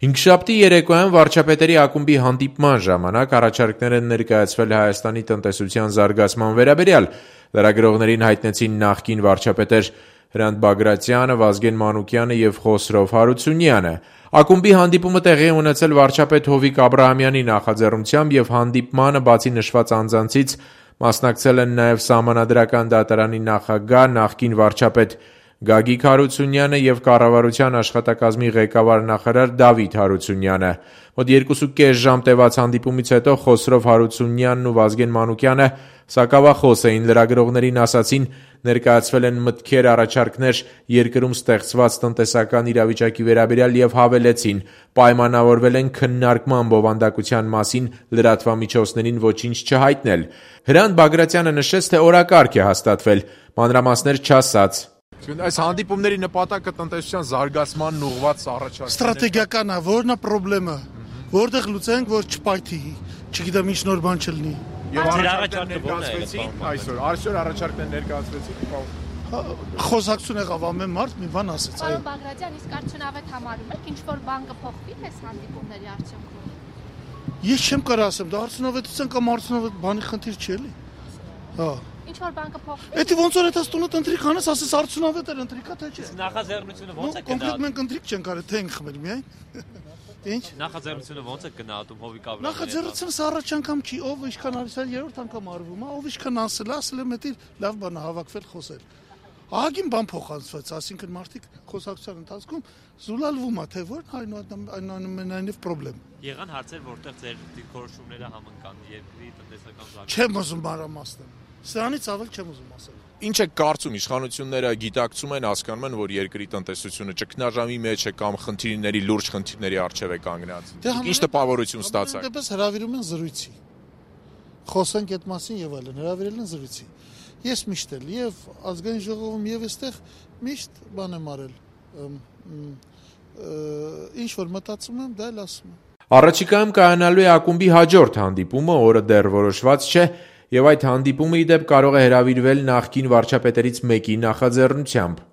Հինգշաբթի երեկոյան վարչապետերի ակումբի հանդիպման ժամանակ առաջարկներ են ներկայացվել Հայաստանի տնտեսության զարգացման վերաբերյալ։ Լրագրողներին հայտնեցին նախկին վարչապետեր Հրանտ Բագրատյանը, Վազգեն Մանուկյանը և Խոսրով Հարությունյանը։ Ակումբի հանդիպումը տեղի է ունեցել վարչապետ Հովիկ Աբրահամյանի նախաձեռնությամբ և հանդիպմանը բացի նշված անձանցից մասնակցել են նաև Սահմանադրական դատարանի նախագահ, նախկին վարչապետ Գագիկ Հարությունյանը և կառավարության աշխատակազմի ղեկավար նախարար Դավիթ Հարությունյանը։ Մոտ 2.5 ժամ տևած հանդիպումից հետո Խոսրով Հարությունյանն ու Վազգեն Մանուկյանը սակավախոս էին, լրագրողներին ասացին, ներկայացվել են մտքեր, առաջարկներ երկրում ստեղծված տնտեսական իրավիճակի վերաբերյալ և հավելեցին, պայմանավորվել են քննարկման բովանդակության մասին լրատվամիջոցներին ոչինչ չհայտնել։ Հրանտ Բագրատյանը նշեց, թե օրակարգ է հաստատվել, մանրամասներ չասաց։ Այս հանդիպումների նպատակը տնտեսության զարգացմանն ուղղված առաջարկներ։ Ստրատեգիական է, որն է խնդիրը, որտեղ լուծենք, որ չպայթի, չգիտեմ ինչ նոր բան չլինի։ Եվ առաջարկներ ներկայացվեցին այսօր առաջարկներ ներկայացվեցին։ Խոսակցություն եղավ ամեն մարդ մի բան ասեց։ Պարոն Բագրատյան, իսկ արդյունավետ համարում եք ինչ-որ բան կփոխվի այս հանդիպումների արդյունքում։ Ես չեմ կարող ասեմ, դա արդյունավետության կամ արդյունավետ բանի խնդիր չի էլի։ Հա։ Ինչ-որ բան կփոխվի։ Էդի ոնց որ այդ տունը ընտրիկ անես, ասես արդյունավետ էր ընտրիկա թե չէ։ Նախաձեռնությունը ոնց է գնահատում։ Կոնկրետ մենք ընտրիկ չենք արել, թե ենք խմել միայն։ Ինչ։ Նախաձեռնությունը ոնց է գնահատում Հովիկ Աբրահամյանը։ Նախաձեռնությունը առաջ անգամ չի, ով ինչքան արել, երրորդ անգամ արվում է, ով ինչքան ասել է մտի լավ բան հավաքվել խոսել։ Ահագին բան փոխանցվեց, ասինքն մարդիկ խոսակցության ընթացքում զուլալվում է, թե որ այնուամենայնիվ խնդրեմ։ Եղան հարցեր, որտեղ ձեր դիրքորոշումները համընկան երկրի տնտեսական զարգացումը։ Չեմ ուզում մանրամասնել։ Սրանից ավել չեմ ուզում ասել։ Ինչ է կարծում, իշխանությունները գիտակցում են, հասկանում են, որ երկրի տնտեսությունը ճգնաժամի մեջ է կամ խնդիրների լուրջ խնդիրների առջև է կանգնած։ Ինչ տպավորություն ստացաք։ Դեպս հրավիրում են զրույցի։ Խոսենք այդ մասին եւ այլն, հրավիրել են զրույցի։ Ես միշտ էլ եւ ազգային ժողովում եւ այստեղ միշտ բան եմ արել։ Ինչ որ մտածում եմ, դա էլ ասում եմ։ Առաջիկայում կայանալու է ակումբի հաջորդ հանդիպումը, օրը դեռ որոշված չէ, եւ այդ հանդիպումը ի դեպ կարող է հրավիրվել նախկին վարչապետերից մեկի նախաձեռնությամբ։